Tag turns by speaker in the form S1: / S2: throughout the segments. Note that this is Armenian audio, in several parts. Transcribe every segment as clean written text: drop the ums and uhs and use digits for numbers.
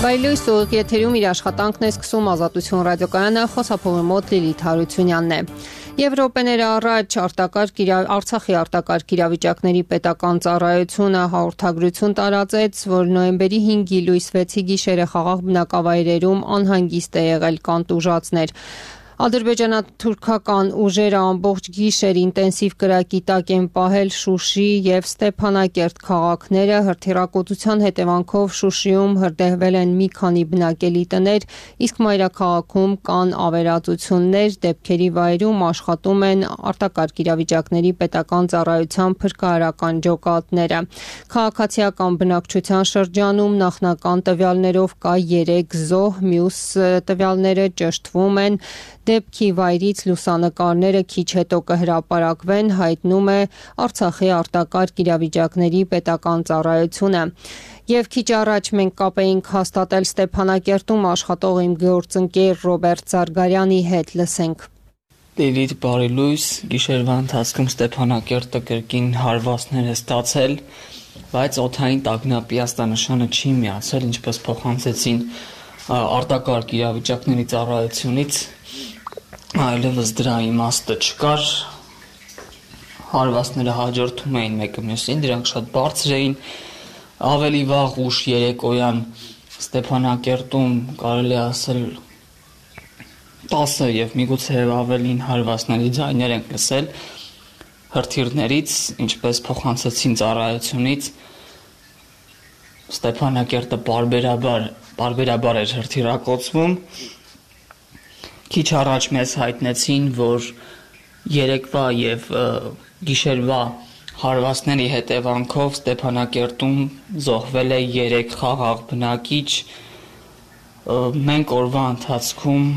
S1: Բայլույս ուղիղ եթերում իր աշխատանքն է սկսում Ազատություն ռադիոկայանը, խոսափողի մոտ Լիլիթ Հարությունյանն է։ Եվրոպեներ առաջ Արցախի արտակարգ իրավիճակների պետական ծառայությունը հաղորդագրություն տարածեց, որ նոյեմբերի 5-ի լույս 6-ի գիշերը խաղաղ բնակավայրերում անհանգիստ է եղել կանտուժածներ։ Ադրբեջանա-թուրքական ուժերը ամբողջ գիշեր ինտենսիվ կրակի տակ են պահել Շուշի և Ստեփանակերտ քաղաքները, հրթիռակոծության հետևանքով Շուշիում հրդեհվել են մի քանի բնակելի տներ, իսկ մայրաքաղաքում կան ավերածություններ, դեպքերի վայրում աշխատում են արտակարգ իրավիճակների պետական ծառայության փրկարարական ջոկատները։ Քաղաքացիական բնակչության շրջանում նախնական տվյալներով կա 3 զոհ, մյուս տվյալները ճշտվում են։ Դեպքի վայրից լուսանկարները քիչ հետո կհրապարակվեն, հայտնում է Արցախի արտակարգ իրավիճակների պետական ծառայությունը։ Եվ քիչ առաջ մենք կապ էինք հաստատել Ստեփանակերտում աշխատող իմ գործընկեր Ռոբերտ Զարգարյանի հետ, լսենք։
S2: Լիլիթ, բարի լույս, գիշերվա ընթացքում Ստեփանակերտը կրկին հարվածներ է ստացել, բայց օդային տագնապի աստանշանը չի միացել, ինչպես փոխանցեցին արտակարգ իրավիճակների ծառայությունից, այլևս դրա իմաստը չկար, հարվածները հաջորդում էին մեկը մյուսին, դրանք շատ բարձր էին, ավելի վաղ ուշ երեկոյան Ստեփանակերտում կարելի ասել 10 եւ միգուցե ավելին հարվածների ձայներ ենք լսել հրթիռներից, ինչպես փոխանցեցին ծառայությունից, Ստեփանակերտը բարբերաբար էր հրթիռակոծվում։ Քիչ առաջ մեզ հայտնեցին, որ երեկվա եւ գիշերվա հարվածների հետևանքով Ստեփանակերտում զոհվել է 3 խաղաղ բնակիչ։ Մենք օրվա ընթացքում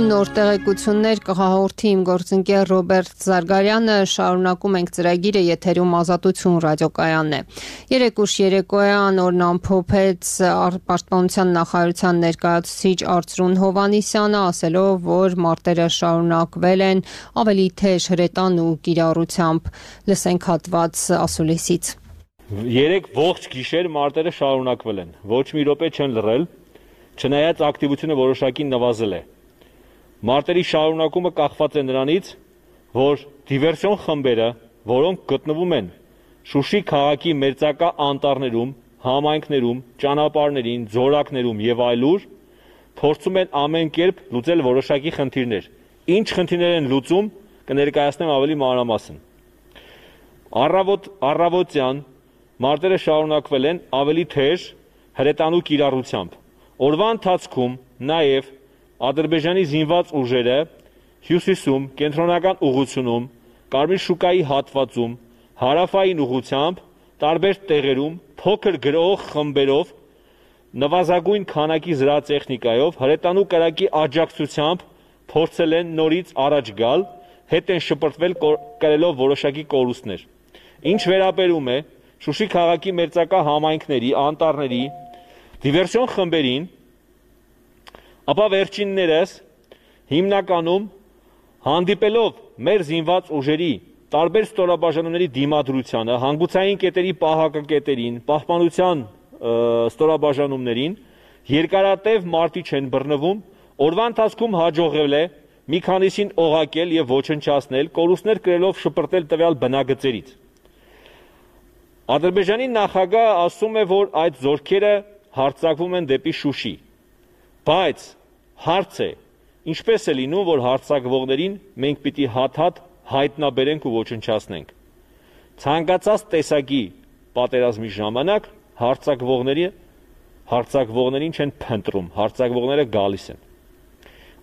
S1: նոր տեղեկություններ կհաղորդի իմ գործընկեր Ռոբերտ Զարգարյանը, շարունակում ենք ծրագիրը, եթերում Ազատություն ռադիոկայանն է։ Երեկուշ երեկոյան օրն ամփոփեց Պաշտպանության նախարարության ներկայացուցիչ Արծրուն Հովհաննիսյանը, ասելով, որ մարտերը շարունակվել են ավելի թեժ հրետան ու կիրառությամբ։ Լսենք հատված ասուլիսից։
S3: 3 ողջ գիշեր մարտերը շարունակվել են, ոչ մի րոպե չեն լռել, չնայած ակտիվությունը որոշակի նվազել է։ Մարտերի շարունակումը կախված է նրանից, որ դիվերսիոն խմբերը, որոնք գտնվում են Շուշի քաղաքի մերձակա անտառներում, համայնքներում, ճանապարհներին, ձորակներում եւ այլուր, փորձում են ամեն կերպ լուծել որոշակի խնդիրներ։ Ինչ խնդիրներ են լուծում, կներկայացնեմ ավելի մանրամասն։ Առավոտյան մարտերը շարունակվել են ավելի թեժ հրետանու կիրառությամբ։ Օրվա ընթացքում նաև Ադրբեջանի զինված ուժերը հյուսիսում, կենտրոնական ուղղությունում, Կարմիր շուկայի հատվածում, հարավային ուղղությամբ, տարբեր տեղերում փոքր գրող խմբերով նվազագույն քանակի զրահատեխնիկայով հրետանու կրակի աջակցությամբ փորձել են նորից առաջ գալ, հետ են շպրտվել կրելով որոշակի կորուստներ։ Ինչ վերաբերում է Շուշի քաղաքի մերձակա համայնքների, անտառների դիվերսիոն խմբերին, ապա վերջիններս հիմնականում հանդիպելով մեր զինված ուժերի տարբեր ստորաբաժանումների դիմադրությանը, հանգուցային կետերի պահակակետերին, պահպանության ստորաբաժանումներին, երկարատև մարտի չեն բռնվում, օրվա ընթացքում հաջողվել է մի քանիսին օղակել եւ ոչնչացնել, կորուստներ կրելով շպրտել տվյալ բնագծերից։ Ադրբեջանի նախագահը ասում է, որ այդ զորքերը հարձակվում են դեպի Շուշի, բայց հարց է, ինչպես է լինում, որ հարձակվողներին մենք պիտի հատ-հատ հայտնաբերենք ու ոչնչացնենք։ Ցանկացած տեսակի պատերազմի ժամանակ հարձակվողներին չեն փնտրում, հարձակվողները գալիս են։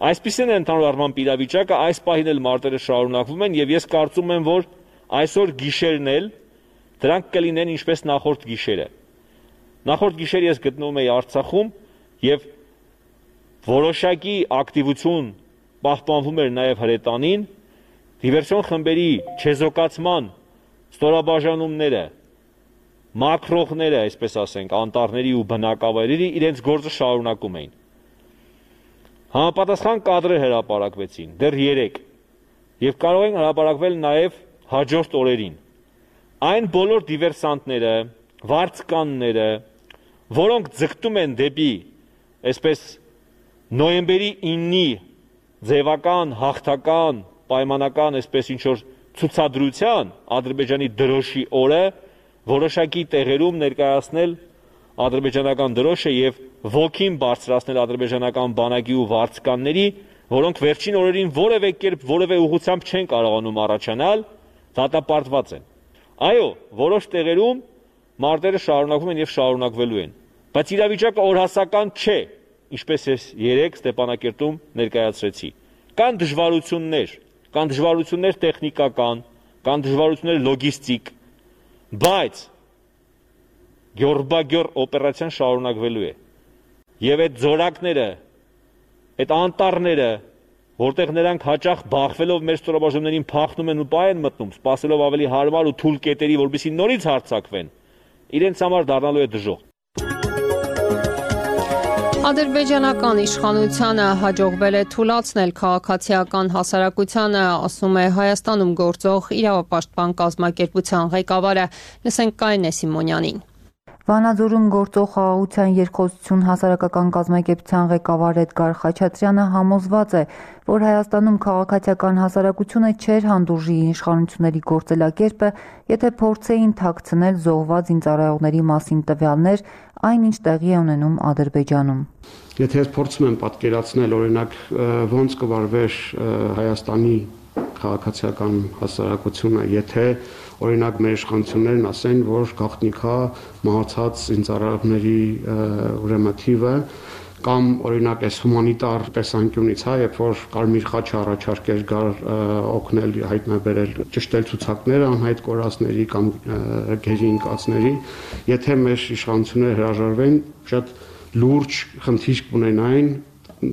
S3: Այսպիսին է ընդհանուր առմամբ իրավիճակը, այս պահին էլ մարտերը շարունակվում են եւ ես կարծում եմ, որ այսօր գիշերն էլ դրանք կլինեն ինչպես նախորդ գիշերը։ Նախորդ գիշեր ես գտնվում էի Արցախում եւ որոշակի ակտիվություն պահպանվում էր նաեւ հրետանին, դիվերսիոն խմբերի չեզոքացման ստորաբաժանումները, մակրողները, այսպես ասենք, անտառների ու բնակավայրերի իրենց գործը շարունակում էին։ Համապատասխան կադրեր հրապարակվեցին, դեռ 3, եւ կարող են հրապարակվել նաեւ հաջորդ օրերին։ այն բոլոր դիվերսանտները, վարձկանները, որոնք ձգտում են դեպի այսպես նոյեմբերի 9-ի ձևական, հաղթական, պայմանական, այսպես ինչ-որ ցուցադրության Ադրբեջանի դրոշի օրը որոշակի տեղերում ներկայացնել ադրբեջանական դրոշը եւ ոգին բարձրացնել ադրբեջանական բանակի ու վարձկանների, որոնք վերջին օրերին որևէ կերպ, որևէ ուղղությամբ չեն կարողանում առաջանալ, դատապարտված են։ Այո, որոշ տեղերում մարտերը շարունակվում են եւ շարունակվելու են, բայց իրավիճակը օրհասական չէ, ինչպես ես երեք Ստեփանակերտում ներկայացրեցի։ Կան դժվարություններ տեխնիկական, կան դժվարություններ լոգիստիկ, բայց գյորբագյոր օպերացիան շարունակվելու է։ Եվ այդ զորակները, այդ անտառները, որտեղ նրանք հաճախ բախվելով մեր ստորաբաժանումներին փախնում են ու պայ են մտնում, սպասելով ավելի հարմար ու թույլ կետերի, որպեսզի նորից հարձակվեն, իրենց համար դառնալու է դժոխք։
S1: Ադրբեջանական իշխանությանը հաջողվել է թուլացնել քաղաքացիական հասարակությանը, ասում է Հայաստանում գործող իրավապաշտպան կազմակերպության ղեկավարը։ Լսենք Կարինե Սիմոնյանին։
S4: Վանաձորում գործող խաղաղության երկխոսություն հասարակական կազմակերպության ղեկավար Էդգար Խաչատրյանը համոզված է, որ Հայաստանում քաղաքացիական հասարակությունը չէր հանդուրժի իշխանությունների գործելակերպը, եթե փորձեին թաքցնել զոհված զինծառայողների մասին տվյալներ, այնինչ տեղի է ունենում Ադրբեջանում։
S5: Եթե ես փորձում եմ պատկերացնել, օրինակ, ոնց կվարվեր Հայաստանի քաղաքացիական հասարակությունը, եթե օրինակ մեր իշխանություններն ասեն, որ գաղտնիքա մահացած զինծառայողների ուրեմն թիվը, կամ օրինակ այս հումանիտար տեսանկյունից, երբ որ Կարմիր խաչը առաջարկեր գար օգնել հայտնաբերել ճշտել ցուցակները անհայտ կորածների կամ գերի ընկածների, եթե մեր իշխանությունները հրաժարվեն, շատ լուրջ խնդիր կունենային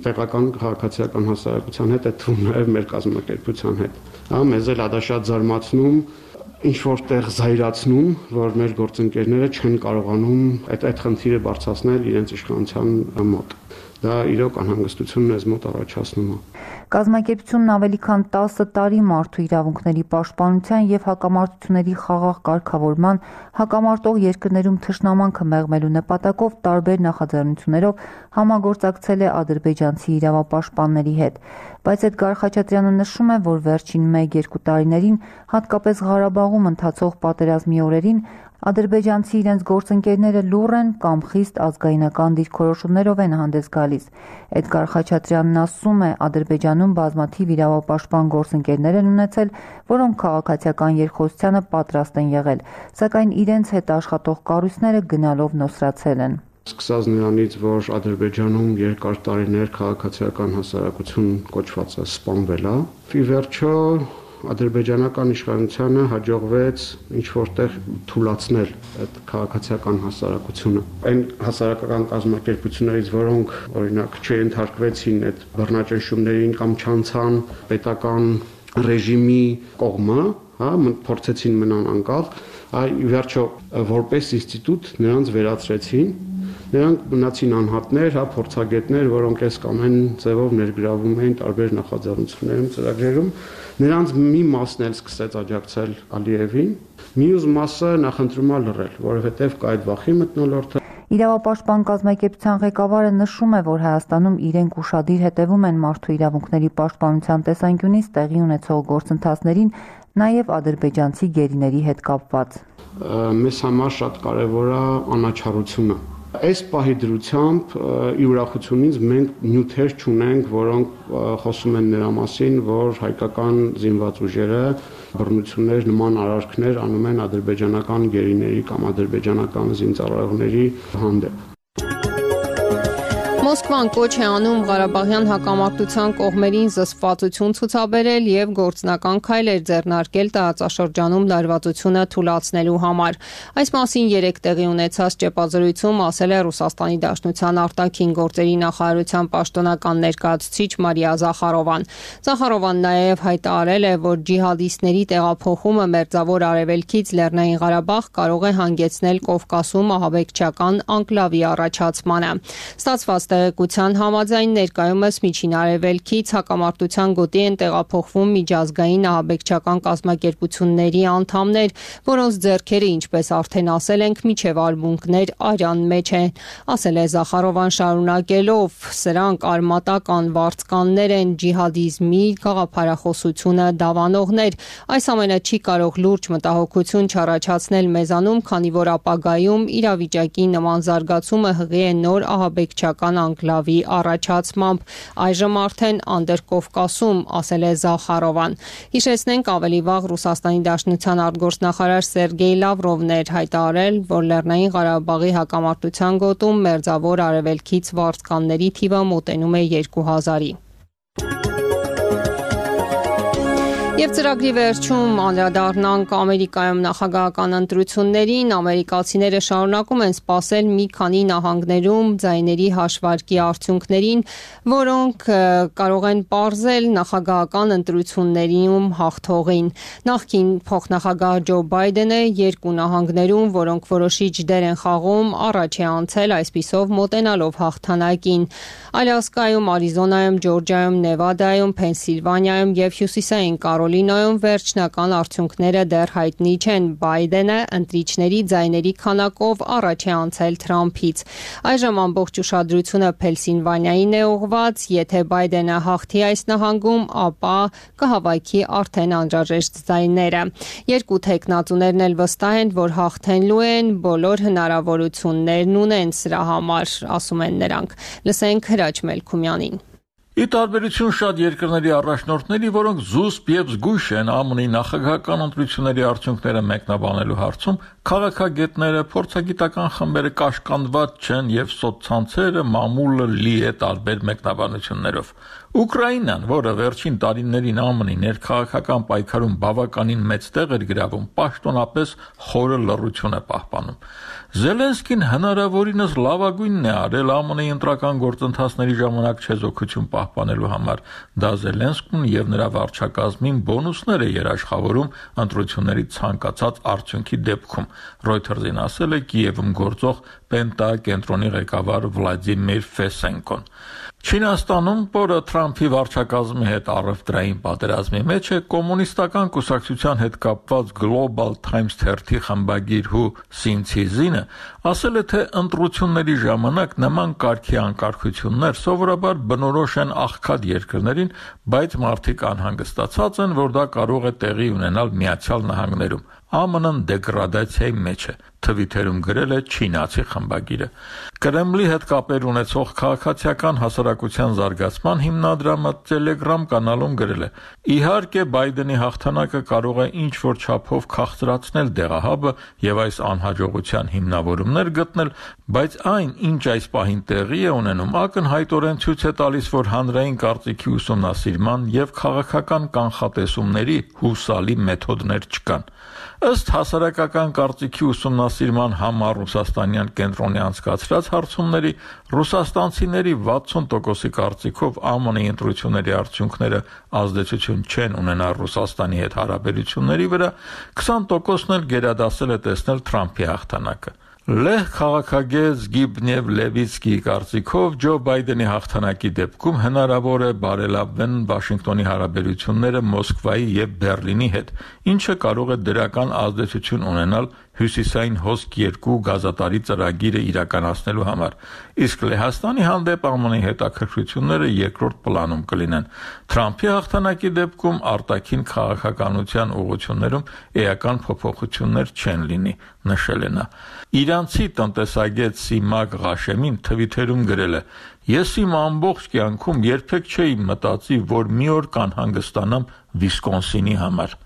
S5: տեղական քաղաքացիական հասարակության հետ, այդ թվում նաև մեր կազմակերպության հետ։ Մեզ էլ դա շատ զարմացնում, ինչ որտեղ զայրացնում, որ մեր գործընկերները չեն կարողանում այդ խնդիրը բարձրացնել իրենց իշխանության մոտ։ Դա իրոք անհանգստություն մեզ մոտ առաջացնում է։
S4: Կազմակերպությունն ավելի քան 10 տարի մարդու իրավունքների պաշտպանության եւ հակամարտությունների խաղաղ կարգավորման, հակամարտող երկրներում թշնամանքը մեղմելու նպատակով տարբեր նախաձեռնություններով համագործակցել է ադրբեջանցի իրավապաշտպանների հետ։ Բայց Էդգար Խաչատրյանը նշում է, որ վերջին 1-2 տարիներին, հատկապես Ղարաբաղում ընթացող պատերազմի օրերին, ադրբեջանցի իրենց գործընկերները լուռ են կամ խիստ ազգայնական դիրքորոշումներով են հանդես գալիս։ Էդգար Խաչատրյանն ասում է, Ադրբեջանում բազմաթիվ իրավապաշտպան գործընկերներ են ունեցել, որոնք քաղաքացիական երկխոսությանը պատրաստ են եղել, սակայն իրենց հետ աշխատող կառույցները գնալով նոսրացել են։
S5: Սկսած նրանից, որ Ադրբեջանում երկար տարիներ քաղաքացիական հասարակություն կոչվածը սպանվել է, ի վերջո ադրբեջանական իշխանությանը հաջողվեց ինչ-որտեղ թուլացնել այդ քաղաքացիական հասարակությունը։ Այն հասարակական կազմակերպություններից, որոնք օրինակ չընթարկվեցին այդ բռնաճնշումներին կամ չանցան պետական ռեժիմի կողմը, փորձեցին մնան անկախ, ի վերջո որպես ինստիտուտ նրանց վերացրեցին։ Նրանք մնացին անհատներ, փորձագետներ, որոնք այս կամ այն ձևով ներգրավում էին տարբեր նախաձեռնություններում, ծրագրերում։ Նրանց մի մասն էլ սկսեց աջակցել Ալիևին, մյուս մասը նախընտրում է լռել, որովհետև կա այդ վախի մթնոլորտը։
S4: Իրավապաշտպան կազմակերպության ղեկավարը նշում է, որ Հայաստանում իրենք ուշադիր հետևում են մարդու իրավունքների պաշտպանության տեսանկյունից տեղի ունեցող գործընթացներին, նաև ադրբեջանցի գերիների հետ կապված։
S5: Մեզ համար շատ կարևոր է անաչառությունը։ Այս պահի դրությամբ ի ուրախությունից մենք նյութեր չունենք, որոնք խոսում են նրա մասին, որ հայկական զինված ուժերը բռնություններ, նման արարքներ անում են ադրբեջանական գերիների կամ ադրբեջանական զինծառայողների հանդեպ։
S1: Մոսկվան կոչ է անում Ղարաբաղյան հակամարտության կողմերին զսպվածություն ցուցաբերել եւ գործնական քայլեր ձեռնարկել տարածաշրջանում լարվածությունը թուլացնելու համար։ Այս մասին երեկ տեղի ունեցած ճեպազրույցում ասել է Ռուսաստանի Դաշնության արտաքին գործերի նախարարության պաշտոնական ներկայացուցիչ Մարիա Զախարովան։ Զախարովան նաեւ հայտարարել է, որ ջիհադիստների տեղափոխումը Մերձավոր Արևելքից Լեռնային Ղարաբաղ կարող է հանգեցնել Կովկասում ահաբեկչական անկլավի առաջացմանը։ Ստացված Տեղեկության համաձայն ներկայումս Միջին Արևելքից հակամարտության գոտի են տեղափոխվում միջազգային ահաբեկչական կազմակերպությունների անդամներ, որոնց ձեռքերը, ինչպես արդեն ասել ենք, միջև արմունկներ արյան մեջ են, ասել է Զախարովան շարունակելով. սրանք արմատական վարձկաններ են, ջիհադիզմի գաղափարախոսությունը դավանողներ։ Այս ամենը չի կարող լուրջ մտահոգություն չառաջացնել մեզանում, քանի որ ապագայում իրավիճակի նման զարգացումը հղի է նոր ահաբեկչական անկլավի առաջացմամբ, այժմ արդեն Անդրկովկասում, ասել է Զախարովան։ Հիշեցնենք, ավելի վաղ Ռուսաստանի Դաշնության արտգործնախարար Սերգեյ Լավրովն էր հայտարարել, որ Լեռնային Ղարաբաղի հակամարտության գոտում մերձավոր արևելքից վարձկանների թիվը մոտենում է 2000-ի։ Եվ ծրագրի վերջում անդրադառնանք Ամերիկայում նախագահական ընտրություններին, ամերիկացիները շարունակում են սպասել մի քանի նահանգներում ձայների հաշվարկի արդյունքներին, որոնք կարող են պարզել նախագահական ընտրություններում հաղթողին։ Նախկին փոխնախագահ Ջո Բայդենը երկու նահանգներում, որոնք որոշիչ դեր են խաղում, առաջ է անցել, այսպիսով մոտենալով հաղթանակին։ Ալյասկայում, Արիզոնայում, Ջորջիայում, Նևադայում, Փենսիլվանիայում եւ Հյուսիսային Կարոլինայում վերջնական արդյունքները դեռ հայտնի չեն։ Բայդենը ընտրիչների ձայների քանակով առաջ է անցել Թրամփից։ Այժմ ամբողջ ուշադրությունը Փենսիլվանիային է ուղղված։ Եթե Բայդենը հաղթի այս նահանգում, ապա կհավաքի արդեն անհրաժեշտ ձայները։ Երկու թեկնածուներն էլ վստահ են, որ հաղթելու են, բոլոր հնարավորություններն ունեն սրա համար, ասում են նրանք։ Լսենք Հրաչ Մելքումյանին։
S6: Ի տարբերություն շատ երկրների առաջնորդների, որոնք զուսպ եւ զգույշ են ԱՄՆ-ի նախագահական ընտրությունների արդյունքները մեկնաբանելու հարցում, քաղաքագետները, փորձագիտական խմբերը կաշկանդված չեն եւ սոցցանցերը մամուլը լի է տարբեր մեկնաբանություններով։ Ուկրաինան, որը վերջին տարիներին ԱՄՆ-ի ներքաղաքական պայքարում բավականին մեծ տեղ էր գրավում, պաշտոնապես խորը լռություն է պահպանում։ Զելենսկին հնարավորինս լավագույնն է արել ԱՄՆ-ի ընտրական գործընթացների ժամանակ չեզոքություն պահպանելու համար։ Դա Զելենսկուն եւ նրա վարչակազմին բոնուսներ է երաշխավորում ընտրությունների ցանկացած արդյունքի դեպքում, Reuters-ին ասել է Կիևում գործող Պենտա կենտրոնի ղեկավար Վլադիմիր Ֆեսենկոն։ Չինաստանում, որը Թրամփի վարչակազմի հետ առևտրային պատերազմի մեջ է, կոմունիստական կուսակցության հետ կապված Global Times թերթի խմբագիր Հու Սինցիզինը ասել է, թե ընտրությունների ժամանակ նման կարգի անկարգություններ սովորաբար բնորոշ են աղքատ երկրներին, բայց մարդիկ անհանգստացած են, որ դա կարող է տեղի ունենալ Միացյալ Նահանգներում։ ԱՄՆ-ն դեգրադացիայի մեջ է, թվիթերում գրել է չինացի խմբագիրը։ Կրեմլի հետ կապեր ունեցող քաղաքացիական հասարակության զարգացման հիմնադրամը Telegram կանալում գրել է. Իհարկե Բայդենի հաղթանակը կարող է ինչ-որ չափով քաղցրացնել դեղահաբը եւ այս անհաջողության հիմնավորումներ գտնել, բայց այն, ինչ այս պահին տեղի է ունենում, ակնհայտորեն ցույց է տալիս, որ հանրային կարծիքի ուսումնասիրման եւ քաղաքական կանխատեսումների հուսալի մեթոդներ չկան։ Ըստ հասարակական կարծիքի ուսումնասիրման համառուսաստանյան կենտրոնի անցկացրած հարցումների, ռուսաստանցիների 60%-ի կարծիքով ԱՄՆ-ի ընտրությունների արդյունքները ազդեցություն չեն ունենա Ռուսաստանի հետ հարաբերությունների վրա, 20%-ն էլ գերադասել է տեսնել Թրամփի հաղթանակը։ Լեհ քաղաքագետ Զգիբնև Լևիցկիի կարծիքով Ջո Բայդենի հաղթանակի դեպքում հնարավոր է բարելավվեն Վաշինգտոնի հարաբերությունները Մոսկվայի եւ Բեռլինի հետ, ինչը կարող է դրական ազդեցություն ունենալ Հյուսիսային հոսք 2 գազատարի ծրագիրը իրականացնելու համար, իսկ Լեհաստանի հանդեպ ԱՄՆ-ի հետաքրքրությունները երկրորդ պլանում կլինեն։ Թրամփի հաղթանակի դեպքում արտաքին քաղաքականության ուղղություններում էական փոփոխություններ չեն լինի, նշել է նա։ Իրանցի տնտեսագետ Սիմակ Ղաշեմին թվիթերում գրել է. Ես իմ ամբողջ կյանքում երբեք չէի մտածի, որ մի օր կանհանգստանամ Վիսկոնսինի համար։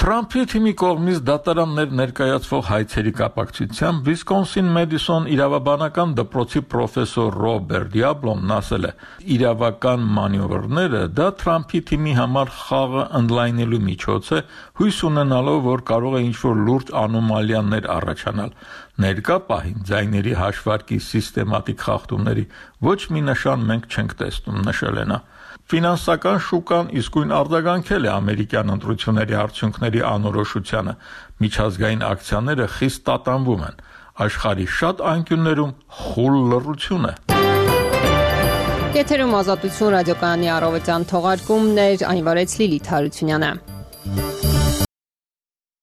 S6: Թրամփի թիմի կողմից դատարաններ ներկայացվող հայցերի կապակցությամբ Վիսկոնսին Մեդիսոն իրավաբանական դպրոցի պրոֆեսոր Ռոբերտ Դիաբլոն ասել է. իրավական մանևրները դա Թրամփի թիմի համար խաղը ընդլայնելու միջոց է, հույս ունենալով, որ կարող է ինչ-որ լուրջ անոմալիաներ առաջանալ։ Ներկա պահին ձայների հաշվարկի սիստեմատիկ խախտումների ոչ մի նշան մենք չենք տեսնում, նշել է նա։ Ֆինանսական շուկան իսկույն արձագանքել է ամերիկյան ընտրությունների արդյունքների անորոշությանը։ Միջազգային ակցիաները խիստ տատանվում են։ Աշխարհի շատ անկյուններում խուլ լռություն է։
S1: Եթերում Ազատություն ռադիոկայանի առավոտյան թողարկումն էր, այն վարեց Լիլիթ Հարությունյանը։